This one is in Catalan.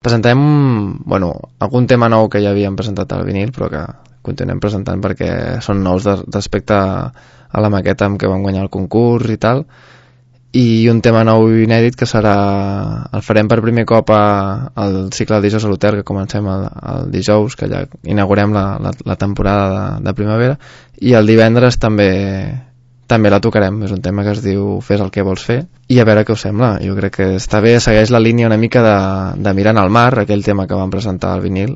Presentem, bueno, algun tema nou que ja havíem presentat al vinil, però que continuem presentant perquè són nous respecte a la maqueta amb què vam guanyar el concurs i tal, i un tema nou i inèdit que el farem per primer cop al cicle del Dijous a l'Hotel, que comencem el dijous, que ja inaugurem la temporada de primavera, i el divendres també la tocarem. És un tema que es diu Fes el que vols fer, i a veure què us sembla. Jo crec que està bé, segueix la línia una mica de Mirant al mar, aquell tema que vam presentar al vinil,